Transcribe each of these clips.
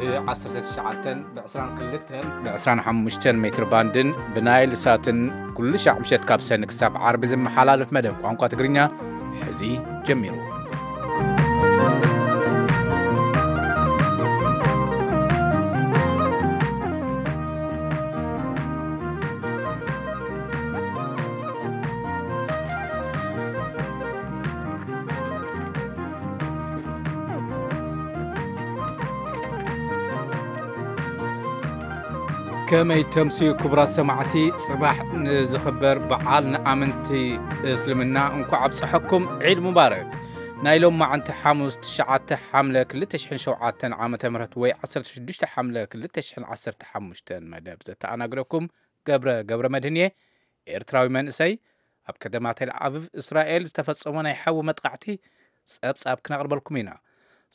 ብ19፣ ብ22፣ ብ25 ሜትር ባንድን ብናይል ሳትን ኩሉ ሻዕ ምሸት ካብ ሰኒ ክሳብ ዓርቢ ዝመሓላለፍ መደብ ቋንቋ ትግርኛ ሕዚ ጀሚሩ። ከመይ ተምስዩ ክቡራት ሰማዕቲ፣ ጽባሕ ንዝኽበር በዓል ንኣመንቲ እስልምና እንኳዕ ኣብጽሐኩም፣ ዒድ ሙባረክ። ናይ ሎማዓንቲ ሓሙስ ትሽዓተ ሓምለ ክልተ ሽሕን ሸውዓተን ዓመተ ምህረት ወይ ዓሰርተ ሽዱሽተ ሓምለ ክልተ ሽሕን ዓሰርተ ሓሙሽተን መደብ ዘተኣናግደኩም ገብረ ገብረ መድህን እየ። ኤርትራዊ መንእሰይ ኣብ ከተማ ቴል ኣቪቭ እስራኤል ዝተፈጸሞ ናይ ሓዊ መጥቃዕቲ ጸብጻብ ክነቕርበልኩም ኢና።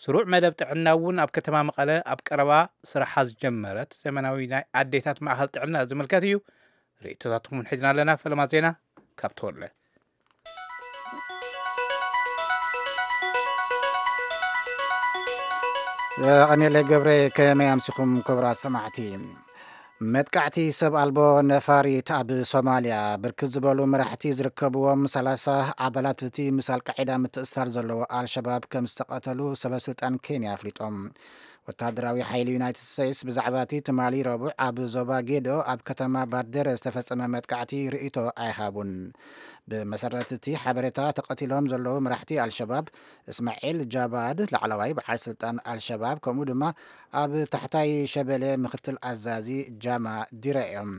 ስሩዕ መደብ ጥዕና እውን ኣብ ከተማ መቐለ ኣብ ቀረባ ስራሓ ዝጀመረት ዘመናዊ ናይ ኣዴታት ማእኸል ጥዕና ዝምልከት እዩ። ርእይቶታትኩም እውን ሒዝና ኣለና። ፈለማ ዜና ካብ ተወለ። የቐኔለይ ገብረ። ከመይ ኣምሲኹም ክቡራት ሰማዕቲ? መጥቃዕቲ ሰብ ኣልቦ ነፋሪት ኣብ ሶማልያ ብርክት ዝበሉ መራሕቲ ዝርከብዎም ሰላሳ ኣባላት እቲ ምስ ኣልቃዒዳ ምትእስሳር ዘለዎ ኣልሸባብ ከም ዝተቐተሉ ሰበስልጣን ኬንያ ኣፍሊጦም። ወታደራዊ ሓይሊ ዩናይትድ ስቴትስ ብዛዕባ እቲ ትማሊ ረቡዕ ኣብ ዞባ ጌዶ ኣብ ከተማ ባርደረ ዝተፈጸመ መጥቃዕቲ ርእይቶ ኣይሃቡን። ብመሰረት እቲ ሓበሬታ፣ ተቐቲሎም ዘለዉ መራሕቲ ኣልሸባብ እስማዒል ጃባድ፣ ላዕለዋይ በዓል ስልጣን ኣልሸባብ፣ ከምኡ ድማ ኣብ ታሕታይ ሸበሌ ምክትል ኣዛዚ ጃማ ዲረ እዮም።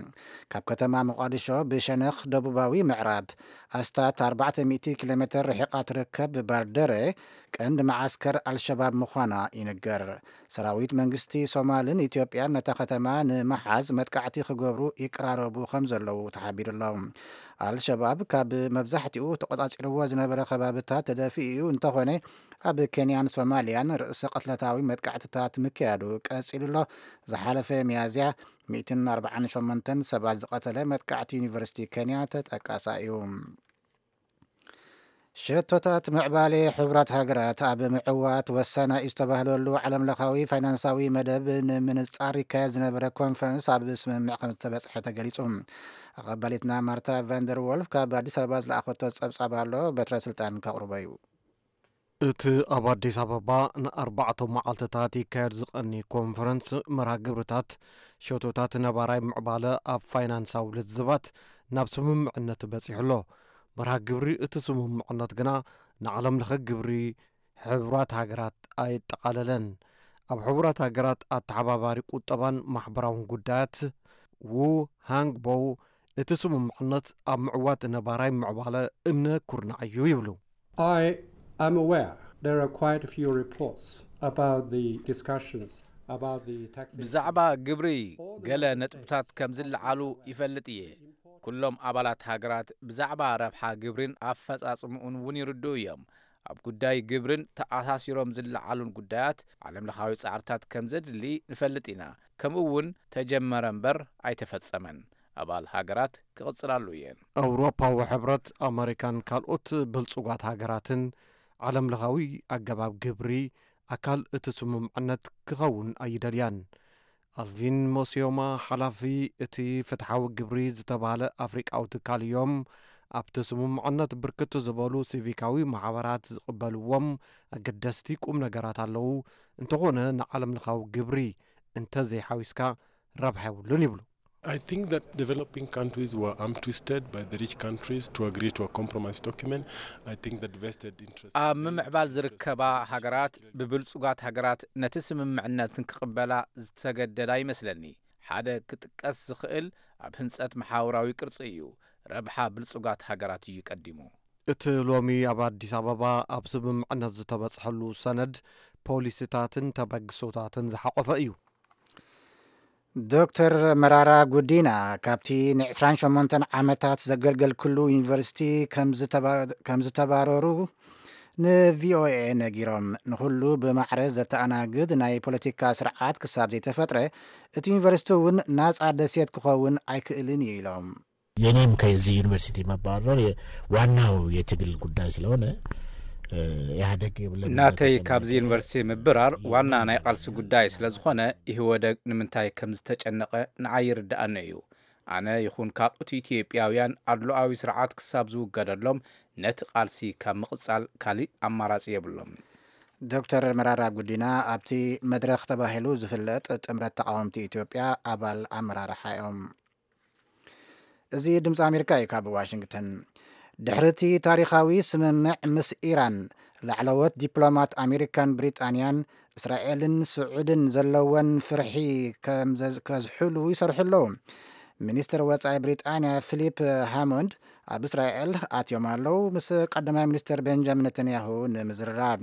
ካብ ከተማ ሞቓዲሾ ብሸነኽ ደቡባዊ ምዕራብ ኣስታት ኣርባዕተ ሚእቲ ኪሎ ሜትር ርሒቓ ትርከብ ባርደረ ቀንዲ መዓስከር ኣልሸባብ ምዃና ይንገር። ሰራዊት መንግስቲ ሶማልን ኢትዮጵያን ነታ ከተማ ንምሓዝ መጥቃዕቲ ክገብሩ ይቀራረቡ ከም ዘለዉ ተሓቢሩ ኣሎ። ኣልሸባብ ካብ መብዛሕትኡ ተቖጻጺርዎ ዝነበረ ከባብታት ተደፊኡ እዩ፣ እንተኾነ ኣብ ኬንያን ሶማልያን ርእሰ ቅትለታዊ መጥቃዕትታት ምክያዱ ቀጺሉ ኣሎ። ዝሓለፈ ሚያዝያ ሚእትን ኣርባዓን ሸሞንተን ሰባት ዝቐተለ መጥቃዕቲ ዩኒቨርሲቲ ኬንያ ተጠቃሳ እዩ። ሸቶታት ምዕባለ ሕቡራት ሃገራት ኣብ ምዕዋት ወሳናይ ዝተባህለሉ ዓለምለኻዊ ፋይናንሳዊ መደብ ንምንጻር ይካየድ ዝነበረ ኮንፈረንስ ኣብ ስምምዕ ከም ዝተበጽሐ ተገሊጹ። ኣቐባሊትና ማርታ ቫንደር ወልፍ ካብ ኣዲስ ኣበባ ዝለኣኸቶ ጸብጻብ ኣሎ፣ በትረ ስልጣን ከቕርቦ እዩ። እቲ ኣብ ኣዲስ ኣበባ ንኣርባዕተ መዓልትታት ይካየድ ዝቐኒ ኮንፈረንስ መርሃ ግብርታት ሸቶታት ነባራይ ምዕባለ ኣብ ፋይናንሳዊ ልዝባት ናብ ስምምዕነት በጺሑ ኣሎ። መርሃ ግብሪ እቲ ስምምዕነት ግና ንዓለም ለኸ ግብሪ ሕቡራት ሃገራት ኣየጠቓለለን። ኣብ ሕቡራት ሃገራት ኣተሓባባሪ ቁጠባን ማሕበራውን ጉዳያት ዉ ሃንግ ቦው፣ እቲ ስምምዕነት ኣብ ምዕዋት ነባራይ ምዕባለ እምነ ኩርናዕ እዩ ይብሉ። I am aware there are quite a few reports about the discussions about the tax ብዛዕባ ግብሪ ገለ ነጥብታት ከም ዝለዓሉ ይፈልጥ እየ። ኩሎም ኣባላት ሃገራት ብዛዕባ ረብሓ ግብሪን ኣፈጻጽምኡን እውን ይርድኡ እዮም። ኣብ ጉዳይ ግብርን ተኣሳሲሮም ዝለዓሉን ጉዳያት ዓለምለኻዊ ጻዕርታት ከም ዘድሊ ንፈልጥ ኢና። ከምኡ እውን ተጀመረ እምበር ኣይተፈጸመን። ኣባል ሃገራት ክቕጽላሉ እየን። ኣውሮፓዊ ሕብረት፣ ኣመሪካን ካልኦት ብልጹጋት ሃገራትን ዓለምለኻዊ ኣገባብ ግብሪ ኣካል እቲ ስምምዕነት ክኸውን ኣይደልያን። ኣልቪን ሞሲዮማ፣ ሓላፊ እቲ ፍትሓዊ ግብሪ ዝተባህለ ኣፍሪቃዊ ትካል እዮም። ኣብቲ ስምምዕነት ብርክት ዝበሉ ሲቪካዊ ማሕበራት ዝቕበልዎም ኣገደስቲ ቁም ነገራት ኣለዉ። እንተኾነ ንዓለምለኻዊ ግብሪ እንተዘይሓዊስካ ረብሓ የብሉን ይብሉ። I think that developing countries were arm twisted by the rich countries to agree to a compromise document. I think that vested interest ኣብ ምምዕባል ዝርከባ ሃገራት ብብልጹጋት ሃገራት ነቲ ስምምዕነት ንክቕበላ ዝተገደዳ ይመስለኒ። ሓደ ክጥቀስ ዝኽእል ኣብ ህንጸት መሓውራዊ ቅርጺ እዩ። ረብሓ ብልጹጋት ሃገራት እዩ ቀዲሙ። እቲ ሎሚ ኣብ ኣዲስ ኣበባ ኣብ ስምምዕነት ዝተበጽሐሉ ሰነድ ፖሊሲታትን ተበግሶታትን ዝሓቆፈ እዩ። ዶክተር መራራ ጉዲና ካብቲ ን28 ዓመታት ዘገልገልክሉ ዩኒቨርሲቲ ከም ዝተባ-፣ ከም ዝተባረሩ ንቪኦኤ ነጊሮም። ንኹሉ ብማዕረ ዘተኣናግድ ናይ ፖለቲካ ስርዓት ክሳብ ዘይተፈጥረ እቲ ዩኒቨርሲቲ እውን ናጻ ደሴት ክኸውን ኣይክእልን እዩ ኢሎም። የኔም ከዚህ ዩኒቨርሲቲ መባረር የ-፣ ዋናው የትግል ጉዳይ ስለሆነ ኢህኣደግ የብለን ናተይ ማለት ካብዚ ኣይኮነን። ዩኒቨርሲቲ ምብራር ዋና ናይ ቃልሲ ጉዳይ ስለ ዝኾነ፣ ኢህወደግ ንምንታይ ከም ዝተጨነቐ ንዓይ ይርድኣኒ እዩ። ኣነ ይኹን ካልኦት ኢትዮጵያውያን ኣድሎኣዊ ስርዓት ክሳብ ዝውገደሎም ነቲ ቃልሲ ካብ ምቕጻል ካሊእ ኣማራጺ የብሎም። ዶክተር መራራ ጉዲና ኣብቲ መድረኽ ተባሂሉ ዝፍለጥ ጥምረት ተቓወምቲ ኢትዮጵያ ኣባል ኣመራርሓ እዮም። እዚ ድምፂ ኣሜሪካ እዩ ካብ ዋሽንግተን። ድሕሪ እቲ ታሪኻዊ ስምምዕ ምስ ኢራን፣ ላዕለዎት ዲፕሎማት ኣሜሪካን ብሪጣንያን፣ እስራኤልን ስዑድን ዘለወን ፍርሒ ከም ዘዝ- ከዝሕሉ ይሰርሑ ኣለዉ። ሚኒስትር ወፃኢ ብሪጣንያ ፊሊፕ ሃሞንድ ኣብ እስራኤል ኣትዮም ኣለዉ፣ ምስ ቀዳማይ ሚኒስትር ቤንጃሚን ነተንያሁ ንምዝርራብ።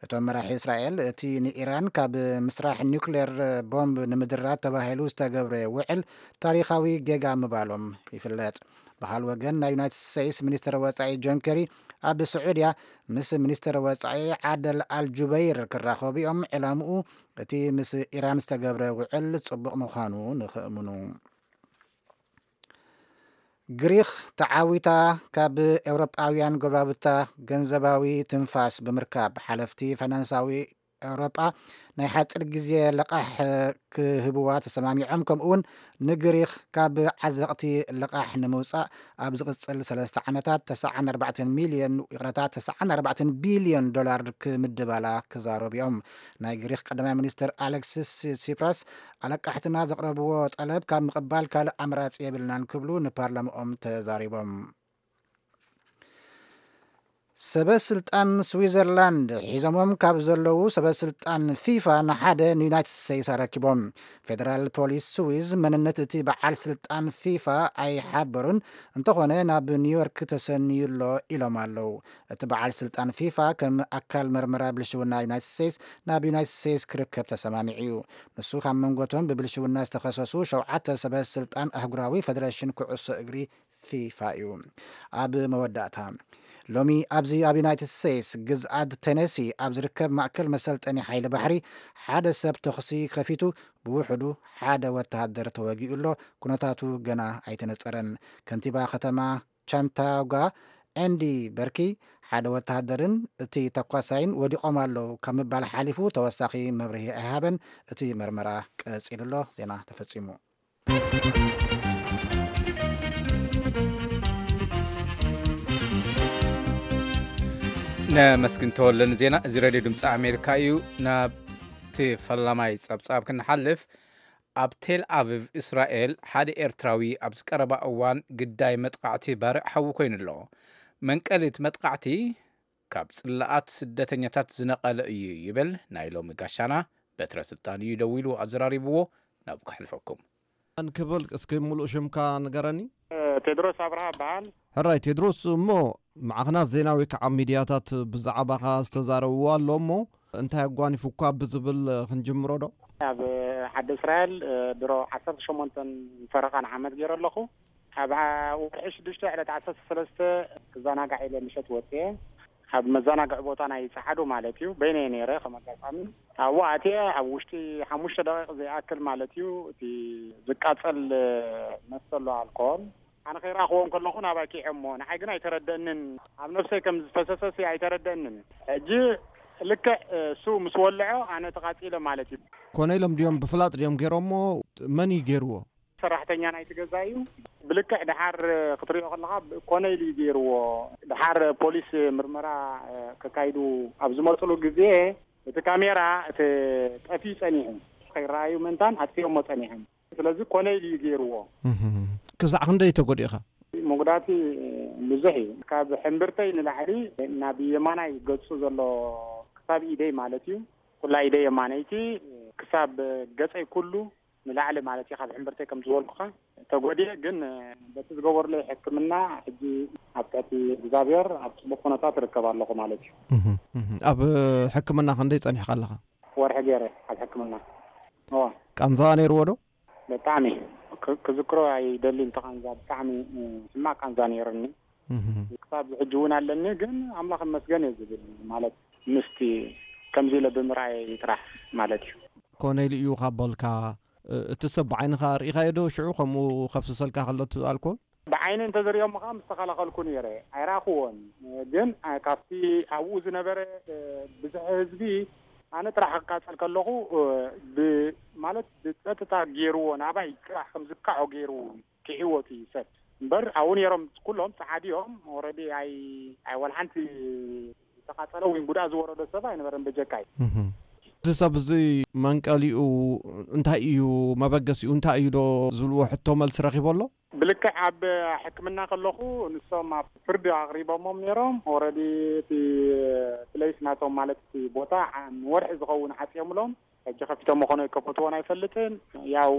እቶም መራሒ እስራኤል እቲ ንኢራን ካብ ምስራሕ ኒውክሌር ቦምብ ንምድራት ተባሂሉ ዝተገብረ ውዕል ታሪኻዊ ጌጋ ምባሎም ይፍለጥ። ብኻል ወገን ናይ ዩናይትድ ስቴትስ ሚኒስትር ወፃኢ ጆን ኬሪ ኣብ ስዑድያ ምስ ሚኒስትር ወፃኢ ዓደል ኣልጁበይር ክራኸቡ እዮም። ዕላምኡ እቲ ምስ ኢራን ዝተገብረ ውዕል ፅቡቕ ምዃኑ ንኽእምኑ። ግሪኽ ተዓዊታ ካብ ኤውሮጳውያን ጎረባብታ ገንዘባዊ ትንፋስ ብምርካብ ሓለፍቲ ፋይናንሳዊ ኤውሮጳ ናይ ሓፂር ግዜ ልቓሕ ክህብዋ ተሰማሚዖም። ከምኡ እውን ንግሪኽ ካብ ዓዘቕቲ ልቓሕ ንምውፃእ ኣብ ዝቕፅል ሰለስተ ዓመታት ተስዓን ኣርባዕተን ሚልዮን፣ ይቕረታ፣ ተስዓን ኣርባዕተን ቢልዮን ዶላር ክምድባላ ክዛረቡ እዮም። ናይ ግሪኽ ቀዳማይ ሚኒስትር ኣሌክሲስ ሲፕራስ ኣለቃሕትና ዘቕረብዎ ጠለብ ካብ ምቕባል ካልእ ኣማራፂ የብልናን ክብሉ ንፓርላማኦም ተዛሪቦም። ሰበ ስልጣን ስዊዘርላንድ ሒዞሞም ካብ ዘለዉ ሰበ ስልጣን ፊፋ ንሓደ ንዩናይትድ ስቴትስ ኣረኪቦም። ፌደራል ፖሊስ ስዊዝ መንነት እቲ በዓል ስልጣን ፊፋ ኣይሓበሩን፣ እንተኾነ ናብ ኒውዮርክ ተሰንዩ ኣሎ ኢሎም ኣለዉ። እቲ በዓል ስልጣን ፊፋ ከም ኣካል መርመራ ብልሽውና ዩናይትድ ስቴትስ ናብ ዩናይትድ ስቴትስ ክርከብ ተሰማሚዑ እዩ። ንሱ ካብ መንጎቶም ብብልሽውና ዝተኸሰሱ ሸውዓተ ሰበ ስልጣን ኣህጉራዊ ፌደሬሽን ኩዕሶ እግሪ ፊፋ እዩ። ኣብ መወዳእታ ሎሚ ኣብዚ ኣብ ዩናይትድ ስቴትስ ግዝኣት ቴነሲ ኣብ ዝርከብ ማእከል መሰልጠኒ ሓይሊ ባሕሪ ሓደ ሰብ ተኹሲ ከፊቱ ብውሕዱ ሓደ ወተሃደር ተወጊኡ ኣሎ። ኩነታቱ ገና ኣይተነጸረን። ከንቲባ ከተማ ቻንታውጋ ኤንዲ በርኪ ሓደ ወተሃደርን እቲ ተኳሳይን ወዲቖም ኣለዉ ካብ ምባል ሓሊፉ ተወሳኺ መብርሂ ኣይሃበን። እቲ መርመራ ቀጺሉ ኣሎ። ዜና ተፈጺሙ። ነመስግን ተወለ ንዜና። እዚ ሬድዮ ድምፂ ኣሜሪካ እዩ። ናብቲ ፈላማይ ፀብፃብ ክንሓልፍ፣ ኣብ ቴል ኣቪቭ እስራኤል ሓደ ኤርትራዊ ኣብዚ ቀረባ እዋን ግዳይ መጥቃዕቲ ባርዕ ሓዊ ኮይኑ ኣሎ። መንቀሊ እቲ መጥቃዕቲ ካብ ጽላኣት ስደተኛታት ዝነቐለ እዩ ይብል ናይ ሎሚ ጋሻና። በትረ ስልጣን እዩ ደዊሉ ኣዘራሪብዎ። ናብ ከሕልፈኩም። መን ክብል እስኪ ሙሉእ ሽምካ ንገረኒ። ቴድሮስ ኣብርሃ እበሃል። ሕራይ ቴድሮስ፣ እሞ ማዕኽናት ዜና ወይ ከዓ ሚድያታት ብዛዕባኻ ዝተዛረብዎ ኣሎ እሞ እንታይ ኣጓኒፉኳ ብዝብል ክንጅምሮ ዶ? ኣብ ዓዲ እስራኤል ድሮ ዓሰርተ ሸሞንተን ፈረቓን ዓመት ገይረ ኣለኹ። ኣብ ወርሒ ሽዱሽተ ዕለት ዓሰርተ ሰለስተ ክዘናጋዕ ኢለ ምሸት ወፅየ። ኣብ መዘናግዒ ቦታ ናይ ጸዓዱ ማለት እዩ። በይነይ ነይረ ከም ኣጋጣሚ። ኣብኡ ኣትየ ኣብ ውሽጢ ሓሙሽተ ደቂቕ ዘይኣክል ማለት እዩ፣ እቲ ዝቃጸል መስተ ኣሎ ኣልኮል። ኣነ ከይረኣኽዎ እንከለኹ ናባይ ኪዐሞ፣ ንዓይ ግን ኣይተረደእንን። ኣብ ነብሰይ ከም ዝፈሰሰሲ ኣይተረደእንን። ሕጂ ልክዕ እሱ ምስ ወልዖ ኣነ ተቓጺለ ማለት እዩ። ኮነ ኢሎም ድዮም ብፍላጥ ድዮም ገይሮሞ? መን እዩ ገይርዎ? ሰራሕተኛ ናይቲ ገዛ እዩ። ብልክዕ ድሓር ክትሪኦ ከለኻ ኮነ ኢሉ እዩ ገይርዎ። ድሓር ፖሊስ ምርመራ ከካይዱ ኣብ ዝመፅሉ ግዜ እቲ ካሜራ እቲ ጠፍዩ ፀኒሑ ከይረኣዩ ምእንታን ኣጥፊኦሞ ፀኒሖም። ስለዚ ኮነ ኢሉ እዩ ገይርዎ። እህም። ክሳዕ ክንደይ ተጎዲእኻ? መጉዳእቲ ብዙሕ እዩ። ካብ ሕምብርተይ ንላዕሊ ናብ የማናይ ገፁ ዘሎ ክሳብ ኢደይ ማለት እዩ። ኩላ ኢደይ የማነይቲ ክሳብ ገፀይ ኩሉ ንላዕሊ ማለት እዩ። ካብ ሕምብርተይ ከም ዝበልኩኻ ተጎዲኤ፣ ግን በቲ ዝገበሩለይ ሕክምና ሕጂ ኣብ ትሕቲ እግዚኣብሔር ኣብ ፅቡቅ ኩነታት እርከብ ኣለኹ ማለት እዩ። እህ፣ እህ። ኣብ ሕክምና ክንደይ ጸኒሕካ ኣለኻ? ወርሒ ገይረ ኣብ ሕክምና። እወ። ቃንዛ ነይርዎ ዶ? ብጣዕሚ ክ-፣ ክዝክሮ ኣይደልን። ተቃንዛ ብጣዕሚ፣ እ፣ ሕማቅ ቃንዛ ነይርኒ። እህ። ክሳብ ሕጂ እውን ኣለኒ፣ ግን ኣምላኽ ይመስገን እየ ዝብል። ማለት ምስቲ ከምዚ ኢለ ብምርኣይ ጥራሕ ማለት እዩ። ኮነ ኢሉ እዩ ካብ በልካ፣ እ-፣ እቲ ሰብ ብዓይንኻ ርኢኻዮ ዶ ሽዑ ከምኡ ከፍስሰልካ ከሎ እቲ ኣልኮል? ብዓይኒ እንተዝሪኦም ከዓ ምስ ተኸላኸልኩ ነይረ። ኣይረኣኽዎን። ግን ካብቲ ኣብኡ ዝነበረ ብዙሕ ህዝቢ ኣነ ጥራሕ ክቃጸል ከለኹ ማለት ብጸጥታ ገይርዎ፣ ናባይ ጥራሕ ከም ዝካዖ ገይሩ ክሕወት እዩ ሰብ እምበር ኣብኡ ነይሮም ኩሎም ጸዓዲ እዮም። ኦረዲ ኣይ ኣይ ወላ ሓንቲ ዝተቃጸለ ወይ ጉድኣት ዝወረዶ ሰብ ኣይነበረን በጀካይ። እዚ ሰብ እዚ መንቀሊኡ እንታይ እዩ፣ መበገሲኡ እንታይ እዩ ዶ ዝብልዎ ሕቶ መልሲ ረኺቦ ኣሎ? ብልክዕ ኣብ ሕክምና ከለኹ ንሶም ኣብ ፍርዲ ኣቕሪቦሞም ነይሮም። ኦረዲ እቲ ፕሌስ ናቶም ማለት እቲ ቦታ ንወርሒ ዝኸውን ዓጽዮምሎም ሕጂ ከፊቶም መኾኑ ኣይከፈትዎን ኣይፈልጥን። ያው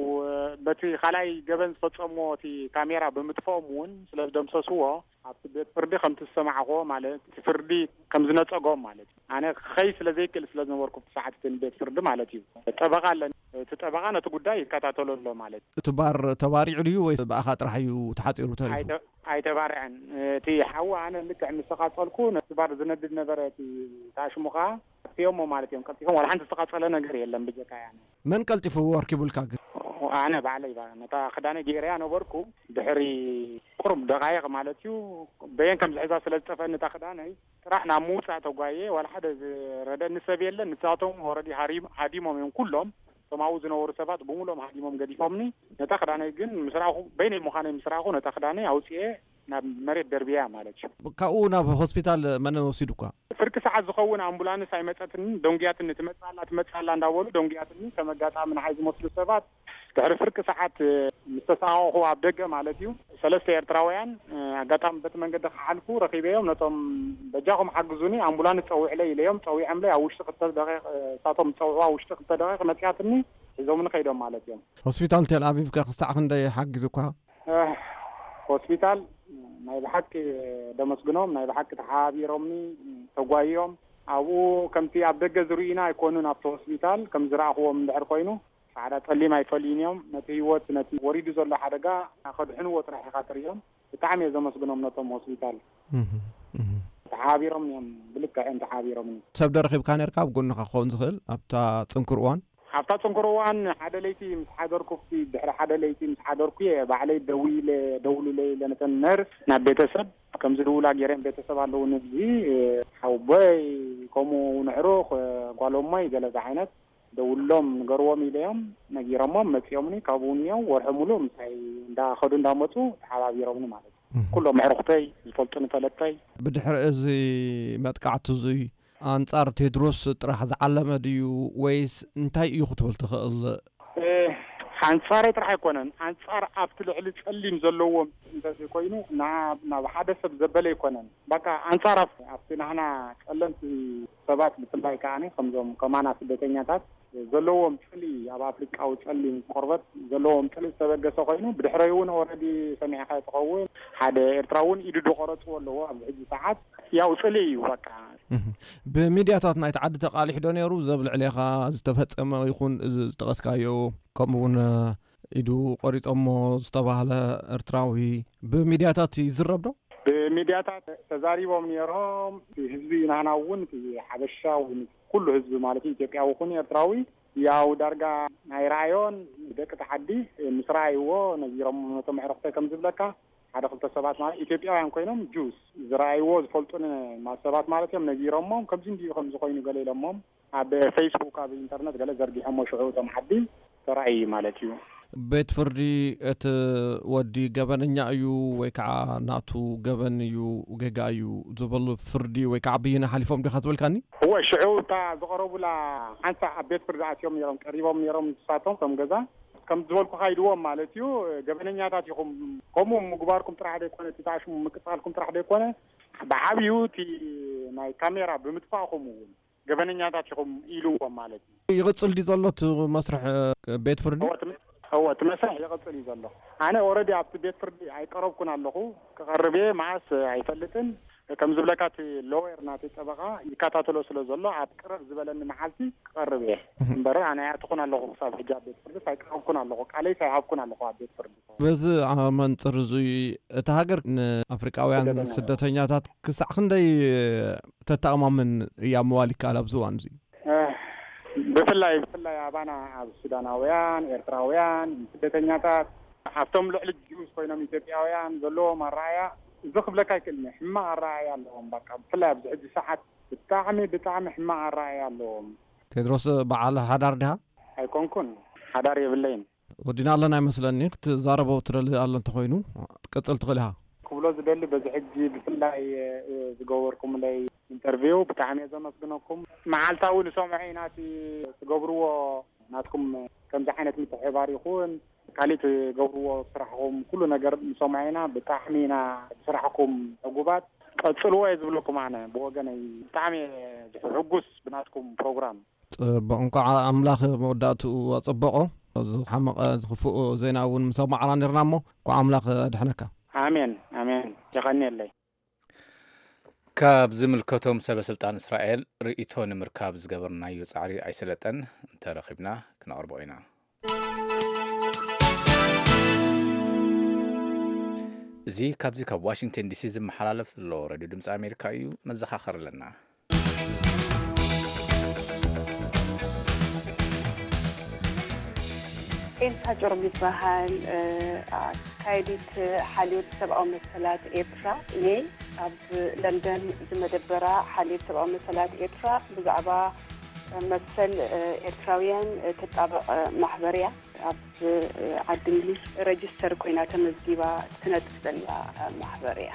በቲ ካልኣይ ገበን ዝፈጸምዎ እቲ ካሜራ ብምጥፍኦም እውን ስለ ዝደምሰስዎ ኣብቲ ቤት ፍርዲ ከምቲ ዝሰማዕኽዎ ማለት እቲ ፍርዲ ከም ዝነጸጎም ማለት እዩ። ኣነ ክኸይ ስለ ዘይክእል ስለ ዝነበርኩ ኣብቲ ሰዓት እቲ ቤት ፍርዲ ማለት እዩ። ጠበቓ ኣለኒ። እቲ ጠበቓ ነቲ ጉዳይ ይከታተሎ ኣሎ ማለት እዩ። እቲ ባር ተባሪዑ ድዩ ወይ ብኣኻ ጥራሕ እዩ ተሓጺሩ ተሪፉ? ኣይተ- ኣይተባርዐን። እቲ ሓዊ ኣነ ልክዕ ምስ ተቓጸልኩ ነቲ ባር ዝነድድ ነበረ። እቲ ታሽሙ ኸዓ ኣጥፊኦሞ ማለት እዮም። ቀልጢፎም ዋላ ሓንቲ ዝተቓጸለ ነገር የለን ብጀካ ያነ። መን ቀልጢፉ ኣርኪቡልካ ግን? ኣነ ባዕለይ ባ- ነታ ክዳነይ ገይረያ ነበርኩ። ድሕሪ ቁሩብ ደቓይቕ ማለት እዩ በየን ከም ዝሕዛ ስለ ዝጠፍአኒ እታ ክዳነይ ጥራሕ ናብ ምውጻእ ተጓየ። ዋላ ሓደ ዝረደኒ ሰብ የለን። ንሳቶም ኦረዲ ሃሪም- ሃዲሞም እዮም ኩሎም። እቶም ኣብኡ ዝነበሩ ሰባት ብምሉኦም ሃዲሞም ገዲፎምኒ። ነታ ክዳነይ ግን ምስ ረኣኹ በይነይ ምዃነይ ምስ ረኣኹ ነታ ክዳነይ ኣውጽኤ ናብ መሬት ደርብያ ማለት እዩ። ካብኡ ናብ ሆስፒታል መን ወሲዱኳ? ፍርቂ ሰዓት ዝኸውን ኣምቡላንስ ኣይመጸትንን። ደንጉያትኒ ትመጽእ ኣላ ትመጽእ ኣላ እንዳበሉ ደንጉያትኒ። ከም ኣጋጣሚ ንዓይ ዝመስሉ ሰባት ድሕሪ ፍርቂ ሰዓት ምስ ተሳቐቑ ኣብ ደገ ማለት እዩ ሰለስተ ኤርትራውያን ኣጋጣሚ በቲ መንገዲ ክሓልፉ ረኺበዮም። ነቶም በጃኹም ሓግዙኒ ኣምቡላንስ ጸውዕለይ ኢለዮም ጸዊዖምለይ ኣብ ውሽጢ ክልተ ደቂቕ እሳቶም ዝጸውዕዋ ውሽጢ ክልተ ደቂቕ መጺኣትኒ ሒዞምኒ ከይዶም ማለት እዮም። ሆስፒታል ቴል ኣቪቭ ከ ክሳዕ ክንደይ ሓጊዙኳ? ሆስፒታል ናይ ብሓቂ ደመስግኖም ናይ ብሓቂ ተሓባቢሮምኒ ተጓይዮም ኣብኡ ከምቲ ኣብ ደገ ዝርእዩና ኣይኮኑን ኣብቲ ሆስፒታል ከም ዝረኣኽዎም እንድሕር ኮይኑ ጻዕዳ ጸሊም ኣይፈልዩን እዮም። ነቲ ህይወት ነቲ ወሪዱ ዘሎ ሓደጋ ከድሕንዎ ጥራሕ ኢኻ ትርእዮም። ብጣዕሚ እየ ዘመስግኖም ነቶም ሆስፒታል ተሓባቢሮም እዮም። ብልክዕ እዮም ተሓባቢሮምኒ። ሰብ ዶ ረኺብካ ነርካ ኣብ ጎንኻ ክኸውን ዝኽእል ኣብታ ጽንኩር እዋን? ኣብታ ጽንኩር እዋን ሓደ ለይቲ ምስ ሓደርኩ ድሕሪ ሓደ ለይቲ ምስ ሓደርኩ እየ ባዕለይ ደዊለ ደውሉለይ ኢለ ነተን ነርስ ናብ ቤተሰብ ከም ዝድውላ ገይረን ቤተሰብ ኣለውኒ እዚ ሓውቦይ ከምኡ ንዕሩኽ ጓሎሞይ ገለ ዓይነት ደውሎም ንገርዎም ኢለዮም ነጊሮሞም መጺኦምኒ። ካብኡ እኒኦም ወርሒ ሙሉእ ምሳይ እንዳኸዱ እንዳመጹ ተሓባቢሮምኒ ማለት እዩ። ኩሎም ኣዕሩኽተይ ዝፈልጡኒ ፈለጥተይ። ብድሕሪ እዚ መጥቃዕቲ እዙይ ኣንጻር ቴድሮስ ጥራሕ ዝዓለመ ድዩ ወይስ እንታይ እዩ ክትብል ትኽእል? ኣንጻረይ ጥራሕ ኣይኮነን ኣንጻር ኣብቲ ልዕሊ ጸሊም ዘለዎም እንተዘይኮይኑ ናብ ሓደ ሰብ ዘበለ ኣይኮነን። በቃ ኣንጻር ኣብቲ ናህና ጸለምቲ ሰባት ብፍላይ ከዓኒ ከምዞም ከማና ስደተኛታት ዘለዎም ጽልኢ ኣብ ኣፍሪቃዊ ጸሊም ቆርበት ዘለዎም ጽልኢ ዝተበገሰ ኮይኑ ብድሕረይ እውን ኦረዲ ሰሚዕካ ትኸውን ሓደ ኤርትራ እውን ኢዱ ዝቆረፅዎ ኣለዎ ኣብዚ ሕጂ ሰዓት ያው ጽልኢ እዩ በቃ። ብሚድያታት ናይቲ ዓዲ ተቃሊሑ ዶ ነይሩ ዘብ ልዕሌኻ ዝተፈጸመ ይኹን እዚ ዝጠቐስካዮ ከምኡ እውን ኢዱ ቆሪጾሞ ዝተባህለ ኤርትራዊ ብሚድያታት ይዝረብ ዶ? ብሚድያታት ተዛሪቦም ነይሮም። ህዝቢ ናህና እውን ሓበሻ ኩሉ ህዝቢ ማለት ኢትዮጵያዊ ኩን ኤርትራዊ ያው ዳርጋ ናይ ረኣዮን ደቂ ተዓዲ ምስ ረኣይዎ ነጊሮም ነቶም ኣዕሩኽተይ ከም ዝብለካ ሓደ ክልተ ሰባት ማለት ኢትዮጵያውያን ኮይኖም ጁስ ዝረኣይዎ ዝፈልጡን ሰባት ማለት እዮም ነጊሮሞም ከምዚ እንዲዩ ከምዚ ኮይኑ ገለ ኢሎሞም ኣብ ፌስቡክ ኣብ ኢንተርነት ገለ ዘርጊሖሞ ሽዑ እቶም ዓዲ ተራእዩ ማለት እዩ። ቤት ፍርዲ እቲ ወዲ ገበነኛ እዩ ወይ ከዓ ናቱ ገበን እዩ ጌጋ እዩ ዝብል ፍርዲ ወይ ከዓ ብይን ሓሊፎም ዲኻ ዝበልካኒ? እወ ሽዑ እታ ዝቐረቡላ ሓንሳእ ኣብ ቤት ፍርዲ ኣትዮም ነይሮም ቀሪቦም ነይሮም ንሳቶም ከም ገዛ ከም ዝበልኩኻ ኢልዎም ማለት እዩ። ገበነኛታት ኢኹም ከምኡ ምግባርኩም ጥራሕ ዘይኮነ እቲ ተኣሽሙ ምቅፃልኩም ጥራሕ ዘይኮነ ብዓብዩ እቲ ናይ ካሜራ ብምጥፋእኹም እውን ገበነኛታት ኢኹም ኢልዎም ማለት እዩ። ይቕፅል ድዩ ዘሎ እቲ መስርሕ ቤት ፍርዲ? እወ እቲ መስርሕ ይቕፅል እዩ ዘሎ። ኣነ ኦረዲ ኣብቲ ቤት ፍርዲ ኣይቀረብኩን ኣለኹ። ክቐርብ እየ መዓስ ኣይፈልጥን። ከም ዝብለካ እቲ ሎየር ናተይ ጠበቓ ይከታተሎ ስለ ዘሎ ኣብ ቅርብ ዝበለኒ መዓልቲ ክቐርብ እየ እምበር ኣነ ኣይኣተኹን ኣለኹ ክሳብ ሕጂ ኣብ ቤት ፍርዲ ኣይቀረብኩን ኣለኹ። ቃለይ ኣይሃብኩን ኣለኹ ኣብ ቤት ፍርዲ። በዚ መንፅር እዙይ እታ ሃገር ንኣፍሪቃውያን ስደተኛታት ክሳዕ ክንደይ ተተኣማምን እያ ምባል ይከኣል ኣብዚ እዋን እዚ? ብፍላይ ብፍላይ ኣባና ኣብ ሱዳናውያን ኤርትራውያን ስደተኛታት ኣብቶም ልዕሊ ጅውስ ኮይኖም ኢትዮጵያውያን ዘለዎም ኣረኣያ እዚ ክብለካ ኣይክእልን እየ። ሕማቕ ኣረኣያ ኣለዎም። በቃ ብፍላይ ኣብዚ ሕጂ ሰዓት ብጣዕሚ ብጣዕሚ ሕማቕ ኣረኣያ ኣለዎም። ቴድሮስ በዓል ሓዳር ዲኻ? ኣይኮንኩን፣ ሓዳር የብለይን። ወዲና ኣለና ይመስለኒ። ክትዛረቦ ትደሊ ኣሎ እንተኾይኑ ክትቅጽል ትኽእል ኢኻ። ክብሎ ዝደሊ በዚ ሕጂ ብፍላይ ዝገበርኩምለይ ኢንተርቪው ብጣዕሚ እየ ዘመስግነኩም። መዓልታዊ ንሰምዖ ኢና እቲ ትገብርዎ። ናትኩም ከምዚ ዓይነት ምትሕብባር ይኹን ካሊእ ትገብርዎ ስራሕኹም ኩሉ ነገር ንሰምዖ ኢና። ብጣዕሚ ኢና ብስራሕኩም ዕጉባት። ቀጽልዎ እየ ዝብለኩም ኣነ ብወገነይ። ብጣዕሚ እየ ሕጉስ ብናትኩም ፕሮግራም። ጽቡቕ፣ እንኳዕ ኣምላኽ መወዳእትኡ ኣጸበቖ። ዝሓመቐ ዝኽፍኡ ዜና እውን ምሰማዕና ነርና እሞ እንኳዕ ኣምላኽ ኣድሐነካ። ኣሜን ኣሜን። የቐንየለይ። ካብ ዝምልከቶም ሰበ ስልጣን እስራኤል ርእይቶ ንምርካብ ዝገበርናዮ ጻዕሪ ኣይሰለጠን። እንተረኺብና ክነቕርቦ ኢና። እዚ ካብዚ ካብ ዋሽንግተን ዲሲ ዝመሓላለፍ ዘሎ ሬድዮ ድምፂ ኣሜሪካ እዩ። መዘኻኸር ኣለና። ኤልሳ ጭሩም ይበሃል። ኣካየዲት ሓልዮት ሰብኣዊ መሰላት ኤርትራ እየ። ኣብ ለንደን ዝመደበራ ሓልዮት ሰብኣዊ መሰላት ኤርትራ ብዛዕባ መሰል ኤርትራውያን ትጣበቕ ማሕበር እያ። ኣብ ዓዲ እንግሊዝ ረጅስተር ኮይና ተመዝጊባ ትነጥፍ ዘላ ማሕበር እያ።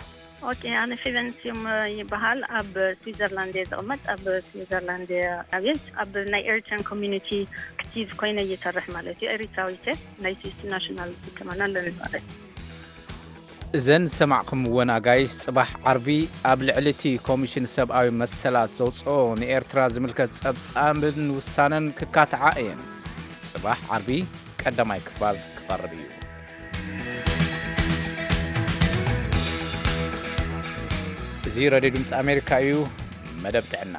ኦኬ፣ ኣነ ፌቨን ስዩም ይበሃል። ኣብ ስዊዘርላንድ እየ ዝቕመጥ። ኣብ ስዊዘርላንድ እየ ዓብየ። ኣብ ናይ ኤሪትሪያን ኮሚዩኒቲ ኣክቲቭ ኮይነ እየሰርሕ ማለት እዩ። ኤሪትራዊት እየ። ናይ ስዊስ ናሽናል ዲፕሎማና ኣለኒ ማለት እዩ። እዘን ዝሰማዕኩምወን ኣጋይሽ ጽባሕ ዓርቢ ኣብ ልዕሊ እቲ ኮሚሽን ሰብኣዊ መሰላት ዘውጽኦ ንኤርትራ ዝምልከት ጸብጻብን ውሳነን ክካትዓ እየን። ጽባሕ ዓርቢ ቀዳማይ ክፋል ክቐርብ እዩ። እዚ ሬድዮ ድምፂ ኣሜሪካ እዩ። መደብ ጥዕና።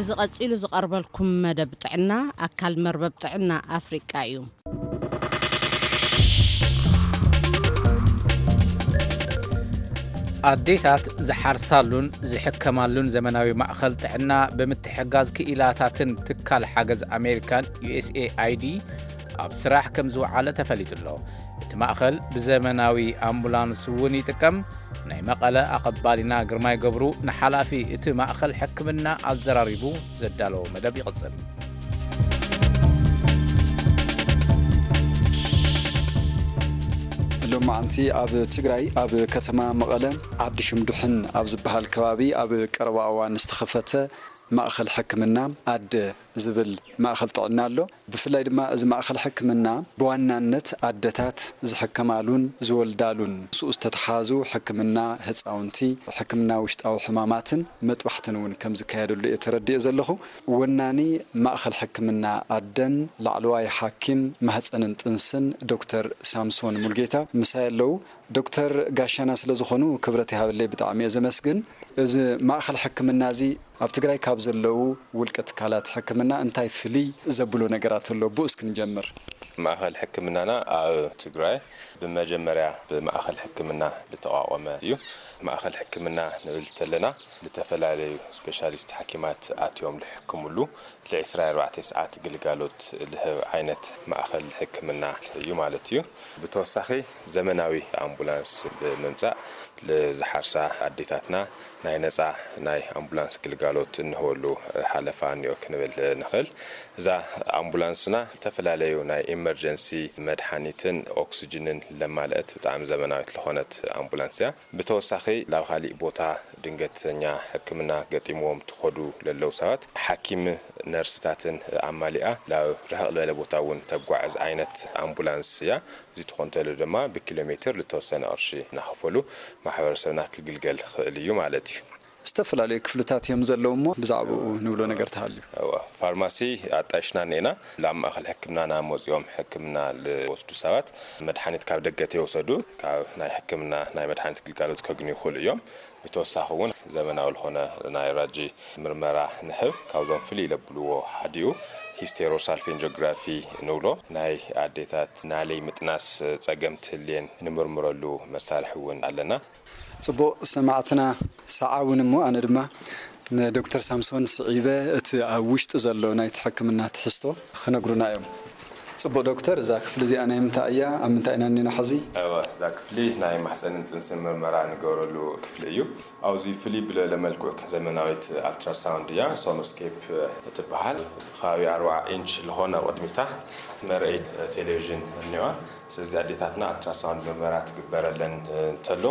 እዚ ቀጺሉ ዝቐርበልኩም መደብ ጥዕና ኣካል መርበብ ጥዕና ኣፍሪቃ እዩ። ኣዴታት ዝሓርሳሉን ዝሕከማሉን ዘመናዊ ማእኸል ጥዕና ብምትሕጋዝ ክኢላታትን ትካል ሓገዝ ኣሜሪካን ዩ ኤስ ኤ ኣይ ዲ ኣብ ስራሕ ከም ዝወዓለ ተፈሊጡ ኣሎ። እቲ ማእኸል ብዘመናዊ ኣምቡላንስ እውን ይጥቀም። ናይ መቐለ ኣቐባሊና ግርማይ ገብሩ ንሓላፊ እቲ ማእኸል ሕክምና ኣዘራሪቡ ዘዳለዎ መደብ ይቕጽል። ሎማዓንቲ ኣብ ትግራይ ኣብ ከተማ መቐለ ዓዲ ሽምዱሕን ኣብ ዝበሃል ከባቢ ኣብ ቀረባ እዋን ዝተኸፈተ ማእኸል ሕክምና ኣደ ዝብል ማእኸል ጥዕና ኣሎ። ብፍላይ ድማ እዚ ማእኸል ሕክምና ብዋናነት ኣደታት ዝሕከማሉን ዝወልዳሉን ምስኡ ዝተተሓዙ ሕክምና ህፃውንቲ፣ ሕክምና ውሽጣዊ ሕማማትን መጥባሕትን እውን ከም ዝካየደሉ እየ ተረዲኤ ዘለኹ። ወናኒ ማእኸል ሕክምና ኣደን ላዕለዋይ ሓኪም ማህፀንን ጥንስን ዶክተር ሳምሶን ሙልጌታ ምሳይ ኣለዉ። ዶክተር ጋሻና ስለ ዝኾኑ ክብረት ይሃበለይ፣ ብጣዕሚ እየ ዘመስግን። እዚ ማእኸል ሕክምና እዚ ኣብ ትግራይ ካብ ዘለዉ ውልቀ ትካላት ሕክምና እንታይ ፍልይ ዘብሎ ነገራት ኣሎ? ብኡ እስኪ ንጀምር። ማእኸል ሕክምናና ኣብ ትግራይ ብመጀመርያ ብማእኸል ሕክምና ዝተቋቖመ እዩ። ማእኸል ሕክምና ንብል ተለና ዝተፈላለዩ ስፔሻሊስት ሓኪማት ኣትዮም ዝሕክምሉ ለ ዕስራን ኣርባዕተን ሰዓት ግልጋሎት ዝህብ ዓይነት ማእኸል ሕክምና እዩ ማለት እዩ። ብተወሳኺ ዘመናዊ ኣምቡላንስ ብምምፃእ ንዝሓርሳ ኣዴታትና ናይ ነፃ ናይ ኣምቡላንስ ግልጋሎት እንህበሉ ሓለፋ እኒኦ ክንብል ንኽእል። እዛ ኣምቡላንስና ዝተፈላለዩ ናይ ኢመርጀንሲ መድሓኒትን ኦክስጅንን ለማልአት ብጣዕሚ ዘመናዊት ዝኾነት ኣምቡላንስ እያ። ብተወሳኺ ናብ ካሊእ ቦታ ድንገተኛ ሕክምና ገጢምዎም ትኸዱ ለለዉ ሰባት ሓኪም ነርስታትን ኣማሊኣ ናብ ርሕቕ ዝበለ ቦታ እውን ተጓዕዝ ዓይነት ኣምቡላንስ እያ። እዚ ትኾን ተሎ ድማ ብኪሎ ሜትር ዝተወሰነ ቅርሺ እናኸፈሉ ማሕበረሰብና ክግልገል ይኽእል እዩ ማለት እዩ። ዝተፈላለዩ ክፍልታት እዮም ዘለዉ እሞ ብዛዕባኡ ንብሎ ነገር ተሃልዩ። እወ፣ ፋርማሲ ኣጣይሽና እኒኤና። ናብ ማእኸል ሕክምናና መፂኦም ሕክምና ዝወስዱ ሰባት መድሓኒት ካብ ደገ ተይወሰዱ ካብ ናይ ሕክምና ናይ መድሓኒት ግልጋሎት ከግንዩ ይኽእሉ እዮም። ብተወሳኺ እውን ዘመናዊ ዝኾነ ናይ ራጂ ምርመራ ንህብ። ካብዞም ፍልይ ለብልዎ ሓዲኡ ሂስቴሮሳልፌንጆግራፊ ንብሎ ናይ ኣዴታት ናለይ ምጥናስ ፀገም ትህልየን ንምርምረሉ መሳርሒ እውን ኣለና። ጽቡቕ ሰማዕትና፣ ሰዓ እውን እሞ ኣነ ድማ ንዶክተር ሳምሶን ስዒበ እቲ ኣብ ውሽጢ ዘሎ ናይቲ ሕክምና ትሕዝቶ ክነግሩና እዮም። ጽቡቕ ዶክተር፣ እዛ ክፍሊ እዚኣ ናይ ምንታይ እያ? ኣብ ምንታይ ኢና እኒና ሕዚ? እወ፣ እዛ ክፍሊ ናይ ማሕፀንን ፅንስን ምርመራ ንገብረሉ ክፍሊ እዩ። ኣብዚ ፍልይ ብለለ መልክዑ ዘመናዊት ኣልትራሳውንድ እያ፣ ሶኖስኬፕ እትበሃል። ከባቢ ኣርባዓ ኢንች ዝኾነ ቅድሚታ መርአይ ቴሌቪዥን እኒዋ። ስለዚ ኣዴታትና ኣልትራሳውንድ ምርመራ ትግበረለን እንተሎ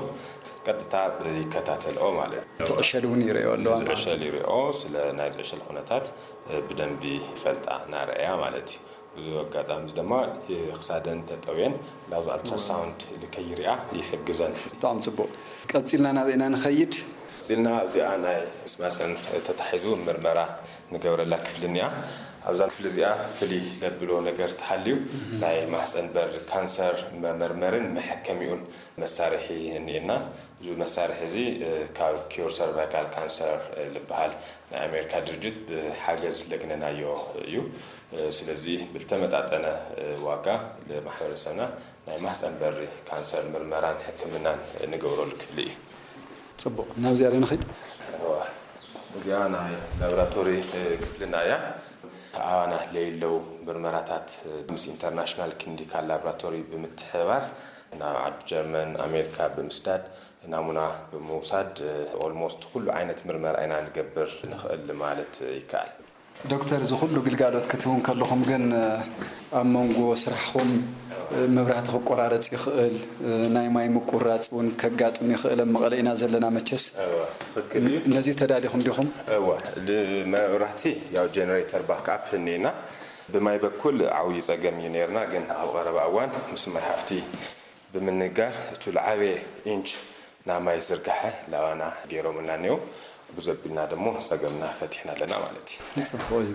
ቀጥታ ይከታተልኦ ማለት እዩ። እቲ ዕሸል እውን ይርእዮ ኣለዋ ማለት እዩ። ዝዕሸል ይሪኦ፣ ስለ ናይ ዝዕሸል ኩነታት ብደንቢ ይፈልጣ እናረኣያ ማለት እዩ። ብዙ ኣጋጣሚ ድማ ክሳደን ተጠውየን ላብዚ ኣልትራሳውንድ ልከይሪኣ ይሕግዘን። ብጣዕሚ ጽቡቕ። ቀጺልና ናበይ ኢና ንኸይድ? ቀጺልና ኣብዚኣ ናይ ምስ ማህፀን ተታሒዙ ምርመራ ንገብረላ ክፍሊ እኒኣ። ኣብዛ ክፍሊ እዚኣ ፍልይ ለብሎ ነገር ተሃልዩ ናይ ማህፀን በር ካንሰር መመርመርን መሐከሚኡን መሳርሒ እኒኤና። እዚ መሳርሒ እዚ ካብ ኪዩር ሰርቫይካል ካንሰር ዝበሃል ናይ ኣሜሪካ ድርጅት ብሓገዝ ለግነናዮ እዩ። ስለዚ ብልተመጣጠነ ዋጋ ለማሕበረሰብና ናይ ማህፀን በሪ ካንሰር ምርመራን ሕክምናን ንገብረሉ ክፍሊ እዩ። ጽቡቕ፣ ናብዚኣ ዶ ንኸይድ? እዚኣ ናይ ላቦራቶሪ ክፍልና እያ። ኣባና ለይለው ምርመራታት ምስ ኢንተርናሽናል ክሊኒካል ላቦራቶሪ ብምትሕብባር ናብ ዓዲ ጀርመን ኣሜሪካ ብምስዳድ ናሙና ብምውሳድ ኦልሞስት ኩሉ ዓይነት ምርመራ ኢና ንገብር ንኽእል ማለት ይከኣል። ዶክተር፣ እዚ ኩሉ ግልጋሎት ክትህቡ እንከለኹም ግን ኣብ መንጎ ስራሕኹም መብራህቲ ክቆራረፅ ይኽእል፣ ናይ ማይ ምቁራፅ እውን ከጋጥም ይኽእል። ኣብ መቐለ ኢና ዘለና መቸስ። ትክክል እዩ። ነዚ ተዳሊኹም ዲኹም? እወ፣ መብራህቲ ያው ጀነሬተር ባክኣፕ እኒና ብማይ በኩል ዓብዪ ፀገም እዩ ነርና፣ ግን ኣብ ቀረባ እዋን ምስ ማይ ሃፍቲ ብምንጋር እቱ ለዓበየ ኢንች ናይ ማይ ዝርጋሐ ላባና ገይሮምልና እኒው። ብዙ ኣቢልና ደሞ ፀገምና ፈቲሕና ኣለና ማለት እዩ። ጽቡቕ እዩ።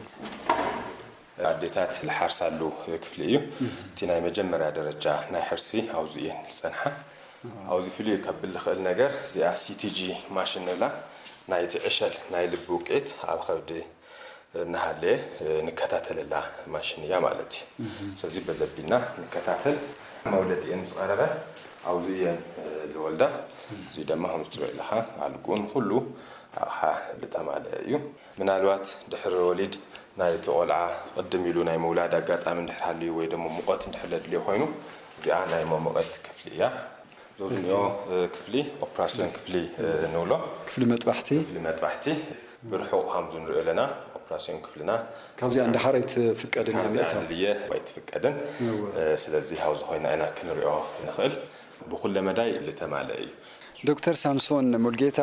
ኣዴታት ዝሓርሳሉ ክፍሊ እዩ። እቲ ናይ መጀመርያ ደረጃ ናይ ሕርሲ ኣብዙ እየን ዝፀንሓ። ኣብዚ ፍልይ ከብል ዝኽእል ነገር እዚኣ ሲቲጂ ማሽን ንብላ ናይቲ ዕሸል ናይ ልቢ ውቅዒት ኣብ ከብዲ እናሃለየ ንከታተለላ ማሽን እያ ማለት እዩ። ስለዚ በዘቢልና ንከታተል። መውለዲኤን ምስ ቀረበ ኣብዚ እየን ዝወልዳ። እዚ ድማ ከምዚ ትሪኦ ኣለኻ ኣልጉን ኩሉ ኣቕሓ ዝተማልአ እዩ። ምናልባት ድሕሪ ወሊድ ናይቲ ቆልዓ ቅድም ኢሉ ናይ ምውላድ ኣጋጣሚ እንድሕር ሃልዩ ወይ ደሞ ሙቐት እንድሕር ለድልዮ ኮይኑ እዚኣ ናይ መሞቐት ክፍሊ እያ። ዞዝኒኦ ክፍሊ ኦፕራሲዮን ክፍሊ ንብሎ። ክፍሊ መጥባሕቲ። ክፍሊ መጥባሕቲ ብርሑቕ ከም ዝንሪኦ ኣለና ኦፕራሲዮን ክፍልና ካብዚኣ እንዳሓር ኣይትፍቀድን እያ ሚእታው። ኣድልየ ኣይትፍቀድን። ስለዚ ሃው ዝኾይና ኢና ክንሪኦ ንኽእል። ብኩለ መዳይ ልተማለ እዩ። ዶክተር ሳምሶን ሙልጌታ፣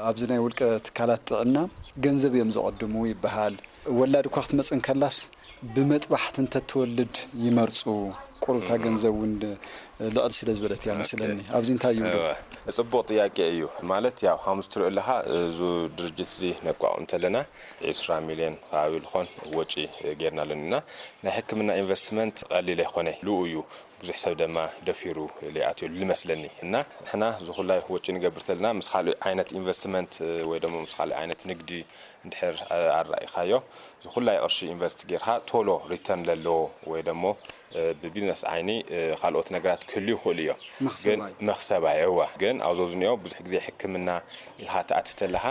ኣብዚ ናይ ውልቀ ትካላት ጥዕና ገንዘብ እዮም ዘቐድሙ ይበሃል። ወላድ እኳ ክትመጽእ እንከላስ ብመጥባሕቲ እንተትወልድ ይመርጹ። ቁሩብታ ገንዘብ እውን ልዕል ስለ ዝበለት እያ መስለኒ። ኣብዚ እንታይ ይብሉ? ጽቡቕ ጥያቄ እዩ። ማለት ያው ሃሙስ ትሪኦ ኣለኻ፣ እዚ ድርጅት እዚ ነቋቑም እንተለና ዒስራ ሚልዮን ከባቢ ልኾን ወጪ ጌርና ኣለና። ናይ ሕክምና ኢንቨስትመንት ቀሊል ኣይኮነ፣ ልኡ እዩ። ብዙሕ ሰብ ደማ ደፊሩ ሊኣትየሉ ልመስለኒ እና ንሕና ዝኹላይ ወጪ ንገብር ተለና ምስ ካልእ ዓይነት ኢንቨስትመንት ወይ ደሞ ምስ ካልእ ዓይነት ንግዲ እንድሕር ኣራኢኻዮ ዝኹላይ ቅርሺ ኢንቨስት ጌርካ ቶሎ ሪተርን ለለዎ ወይ ደሞ ብቢዝነስ ዓይኒ ካልኦት ነገራት ክህልዩ ይኽእሉ እዮም። ግን መኽሰባይ። መኽሰባይ እዋ ግን ኣብዞ ዝኒኦ ብዙሕ ግዜ ሕክምና ኢልካ ትኣቲ ተለኻ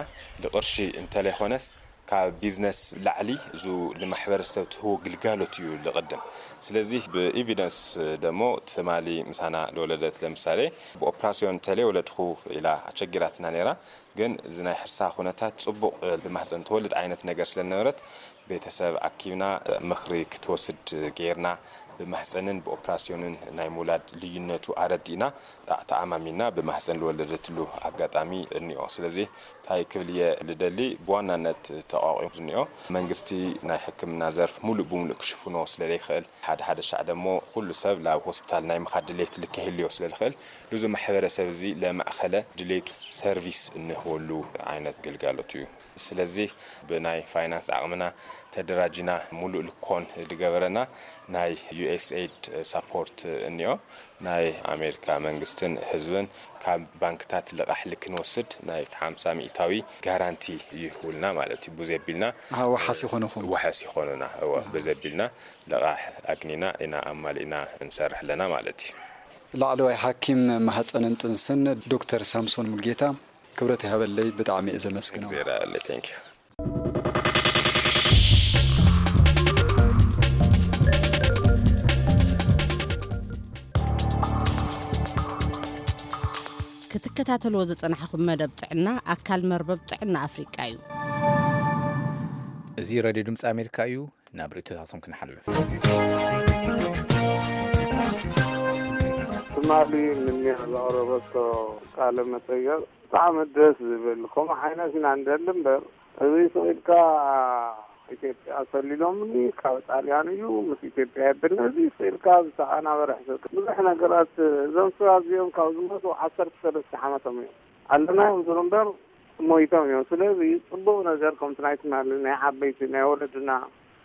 ልቅርሺ እንተለይኮነስ ካብ ቢዝነስ ላዕሊ እዙ ንማሕበረሰብ ትህቦ ግልጋሎት እዩ ልቕድም። ስለዚ ብኤቪደንስ ደሞ ትማሊ ምሳና ለወለደት ለምሳሌ ብኦፕራሲዮን ተለይ ወለድኹ ኢላ ኣቸጊራትና ነይራ። ግን እዚ ናይ ሕርሳ ኩነታት ጽቡቕ ብማህፀን ትወልድ ዓይነት ነገር ስለነበረት ቤተሰብ ኣኪብና ምኽሪ ክትወስድ ጌርና ብማህፀንን ብኦፕራሲዮንን ናይ ምውላድ ልዩነቱ ኣረዲእና ተኣማሚና ብማህፀን ዝወለደትሉ ኣጋጣሚ እኒኦ። ስለዚ እንታይ ክብል እየ ልደሊ ብዋናነት ተቋቂሙ ዝኒኦ መንግስቲ ናይ ሕክምና ዘርፍ ሙሉእ ብሙሉእ ክሽፍኖ ስለለይኽእል ሓደ ሓደ ሻዕ ደሞ ኩሉ ሰብ ናብ ሆስፒታል ናይ ምኻድ ድሌት ልከህልዮ ስለልኽእል ብዙ ማሕበረሰብ እዚ ለማእኸለ ድሌቱ ሰርቪስ እንህበሉ ዓይነት ግልጋሎት እዩ። ስለዚ ብናይ ፋይናንስ ዓቕምና ተደራጅና ሙሉእ ልኮን ዝገበረና ናይ ዩኤስኤድ ሳፖርት እኒኦ። ናይ ኣሜሪካ መንግስትን ህዝብን ካብ ባንክታት ልቓሕ ልክንወስድ ናይ ሓምሳ ሚእታዊ ጋራንቲ ይህቡልና ማለት እዩ። ብዘቢልና ወሓስ ይኾነኹም። ወሓስ ይኾኑና። እወ ብዘቢልና ልቓሕ ኣግኒና ኢና ኣማሊእና እንሰርሕ ኣለና ማለት እዩ። ላዕለዋይ ሓኪም ማህፀንን ጥንስን ዶክተር ሳምሶን ሙልጌታ ክብረት ይሃበለይ፣ ብጣዕሚ እየ ዘመስግኖ። እግዚኣብሔር ያለ thank you። ክትከታተልዎ ዝጸናሕኹም መደብ ጥዕና ኣካል መርበብ ጥዕና ኣፍሪቃ እዩ። እዚ ሬድዮ ድምፂ ኣሜሪካ እዩ። ናብ ርእይቶታቶም ክንሓልፍ። ትማሊ ንኒያ ዘቕረበቶ ቃለ መጠየቕ ብጣዕሚ ደስ ዝብል፣ ከምኡ ዓይነት ኢና ንደሊ እምበር፣ እዚ ስቕ ኢልካ ኢትዮጵያ ሰሊሎምኒ ካብ ጣልያን እዩ፣ ምስ ኢትዮጵያ የብልና፣ እዚ ስቕ ኢልካ ዝተቐናበረ ሕሰብ። ብዙሕ ነገራት፣ እዞም ሰባት እዚኦም ካብ ዝሞቱ ዓሰርተ ሰለስተ ዓመቶም እዮም። ኣለና እዮም ዝብሉ እምበር ሞይቶም እዮም። ስለዚ ጽቡቕ ነገር ከምቲ ናይ ትማሊ ናይ ዓበይቲ ናይ ወለድና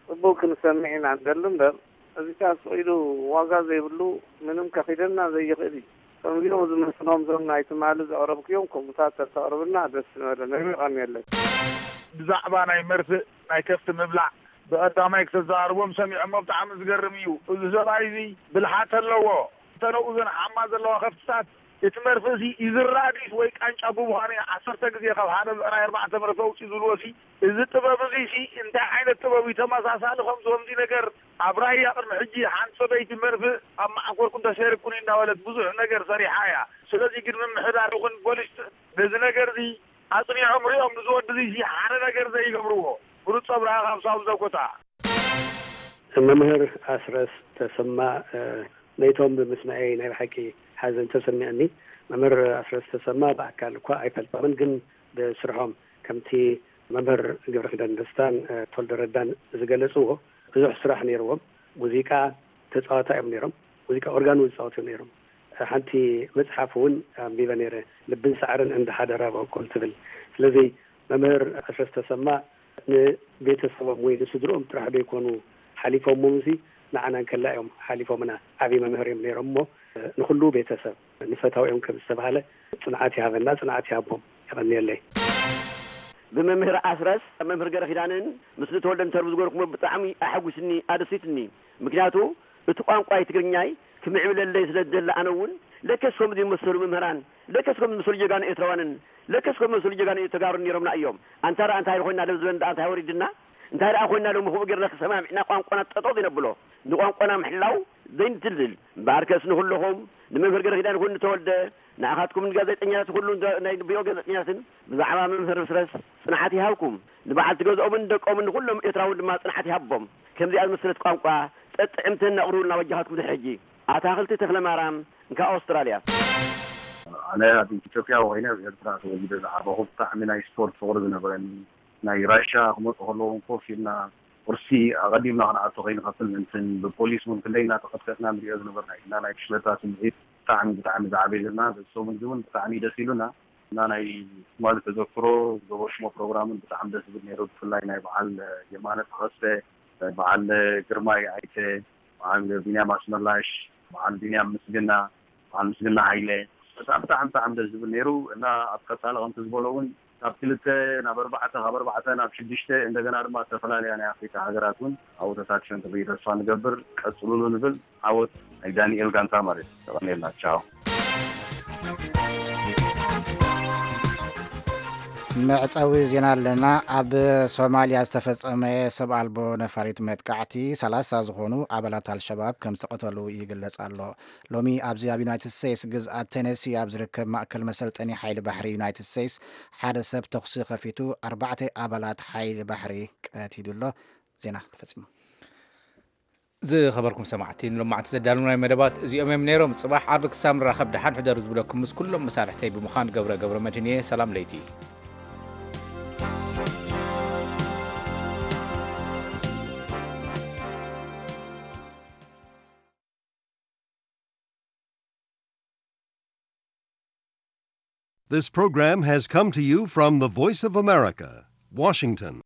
ጽቡቕ ክንሰምዕ ኢና ንደሊ እምበር፣ እዚ ከኣ ስቕ ኢሉ ዋጋ ዘይብሉ ምንም ከኺደና ዘይኽእል እዩ። ከምዚኦም ዝመስሎም እዞም ናይ ትማሊ ዘቕረብክዮም ከምኡታት ተተቕርብልና ደስ ምበለና። ይቐንየለይ። ብዛዕባ ናይ መርፍእ ናይ ከፍቲ ምብላዕ ብቐዳማይ ክተዘራርቦም ሰሚዖሞ። ብጣዕሚ ዝገርም እዩ። እዚ ሰብኣይ እዚ ብልሓት ኣለዎ። እተን ኣብኡ ዘንሓማ ዘለዋ ከፍትታት እቲ መርፍእ እዚ ይዝራእ ድዩስ ወይ ቃንጫ ብምዃኑ እዩ ዓሰርተ ግዜ ካብ ሓደ ብዕራይ ኣርባዕተ መርፍእ ኣውፅኡ ዝብልዎ። እዚ ጥበብ እዚ ሲ እንታይ ዓይነት ጥበብ እዩ? ተመሳሳሊ ከምዚ ከምዚ ነገር ኣብ ራያ ቅድሚ ሕጂ ሓንቲ ሰበይቲ መርፍእ ኣብ መዓኮርኩን ተሰይርኩን እናበለት ብዙሕ ነገር ሰሪሓ እያ። ስለዚ ግን ምምሕዳር ይኹን ፖሊስ ነዚ ነገር እዚ ኣፅኒዖም ሪኦም ንዝወዲ እዚ ሓደ ነገር ዘይገብርዎ። ብሉፅ ኣብርሃ ካብ ሳውዝ ዳኮታ። መምህር ኣስረስ ተሰማ መይቶም ብምስምዐይ ናይ ብሓቂ ሓዘን ተሰሚዐኒ። መምህር ኣስረስ ተሰማ ብኣካል እኳ ኣይፈልጦምን፣ ግን ብስርሖም ከምቲ መምህር ገብረኪዳን ደስታን ተወልደ ረዳን ዝገለፅዎ ብዙሕ ስራሕ ነይርዎም። ሙዚቃ ተፃዋታ እዮም ነይሮም። ሙዚቃ ኦርጋን እውን ዝፃወቱ እዮም ነይሮም። ሓንቲ መፅሓፍ እውን ኣንቢበ ነይረ፣ ልብን ሳዕርን እንዳ ሓደራ በቁል ትብል። ስለዚ መምህር ኣስረስ ተሰማ ንቤተሰቦም ወይ ንስድርኦም ጥራሕ ዘይኮኑ ሓሊፎም፣ እምሲ ንዓና እንከላ እዮም ሓሊፎምና። ዓብዪ መምህር እዮም ነይሮም እሞ ንኹሉ ቤተሰብ ንፈታዊኦም ከም ዝተባህለ ጽንዓት ይሃበና፣ ጽንዓት ይሃቦም። የቐንየለይ። ብመምህር ኣስረስ መምህር ገረ ኪዳንን ምስ ንተወልደ እንተር ዝገርኩሞ ብጣዕሚ ኣሐጉስኒ፣ ኣደሲትኒ። ምክንያቱ እቲ ቋንቋይ ትግርኛይ ክምዕብለለይ ስለ ዝደሊ ኣነ እውን ለከስ ከምዚ ዝመሰሉ መምህራን፣ ለከስ ከምዚ ዝመሰሉ ጀጋኑ ኤርትራውያንን፣ ለከስ ከምዚ ዝመሰሉ ጀጋኑ ተጋሩ ነይሮምና እዮም። ኣንታ ደኣ እንታይ ኮይና ሎም ዝበን ደኣ እንታይ ወሪድና? እንታይ ደኣ ኮይና ሎም ከምኡ ጌርና ተሰማሚዕና ቋንቋና ጠጠው ዘይነብሎ? ንቋንቋና ምሕላው ዘይንድልድል። እምበኣርከስ ንኹልኹም ንመምህር ገረኺዳን ኩን ንተወልደ ንኣኻትኩም ንጋዜጠኛታት ኩሉ ናይ ቢሮ ጋዜጠኛታትን ብዛዕባ መምህር ኣስረስ ጽንዓት ይሃብኩም። ንበዓልቲ ገዝኦምን ንደቆምን ንኹሎም ኤርትራውን ድማ ጽንዓት ይሃቦም። ከምዚኣ ዝመሰለት ቋንቋ ጠጥዕምትን ኣቕርቡልና በጃኻትኩም ድሕሪ ሕጂ። ኣታኽልቲ ተኽለማርያም እንካ ኣውስትራልያ። ኣነ ኣብ ኢትዮጵያ ኮይነ ኣብ ኤርትራ ተወሊደ ዝዓበኹ ብጣዕሚ ናይ ስፖርት ፍቕሪ ዝነበረኒ ናይ ራሻ ክመፁ ከለዉ ኮፍ ኢልና ቁርሲ ኣቐዲምና ክንኣቱ ከይንኸፍል ምእንትን ብፖሊስ እውን ክንደይ እናተቐጥቀጥና ንሪኦ ዝነበርና ኢና ናይ ብሽለታ ስምዒት ብጣዕሚ ብጣዕሚ ዝዓበየልና በዚ ሰሙን እዚ እውን ብጣዕሚ ደስ ኢሉና እና ናይ ትማሊ ተዘክሮ ዝገበርሽሞ ፕሮግራምን ብጣዕሚ ደስ ዝብል ነይሩ ብፍላይ ናይ በዓል የማነ ተኸስተ በዓል ግርማይ ኣይተ በዓል ቢንያም ኣስመላሽ በዓል ቢንያም ምስግና በዓል ምስግና ሃይለ በጣዕሚ ብጣዕሚ ብጣዕሚ ደስ ዝብል ነይሩ እና ኣብ ቀፃሊ ከምቲ ዝበሎ እውን ካብ ክልተ ናብ ኣርባዕተ ካብ ኣርባዕተ ናብ ሽዱሽተ እንደገና ድማ ዝተፈላለያ ናይ ኣፍሪካ ሃገራት እውን ኣብኡ ተሳትፈን ክርኢ ተስፋ ንገብር ቀፅሉሉ ንብል ዓወት ናይ ዳንኤል ጋንታ ማለት ተቐኔልና ቻው መዕፀዊ ዜና ኣለና። ኣብ ሶማሊያ ዝተፈፀመ ሰብ ኣልቦ ነፋሪት መጥቃዕቲ ሰላሳ ዝኾኑ ኣባላት ኣልሸባብ ከም ዝተቐተሉ ይግለጽ ኣሎ። ሎሚ ኣብዚ ኣብ ዩናይትድ ስቴትስ ግዝኣት ቴነሲ ኣብ ዝርከብ ማእከል መሰልጠኒ ሓይሊ ባሕሪ ዩናይትድ ስቴትስ ሓደ ሰብ ተኹሲ ከፊቱ ኣርባዕተ ኣባላት ሓይሊ ባሕሪ ቀቲሉ ኣሎ። ዜና ተፈጺሙ። ዝኸበርኩም ሰማዕቲ ንሎማዕንቲ ዘዳለናይ መደባት እዚኦም እዮም ነይሮም። ጽባሕ ዓርቢ ክሳብ ንራኸብ ደሓን ሕደሩ ዝብለኩም ምስ ኩሎም መሳርሕተይ ብምዃን ገብረ ገብረ መድህን እየ። ሰላም ለይቲ። This program has come to you from the Voice of America, Washington.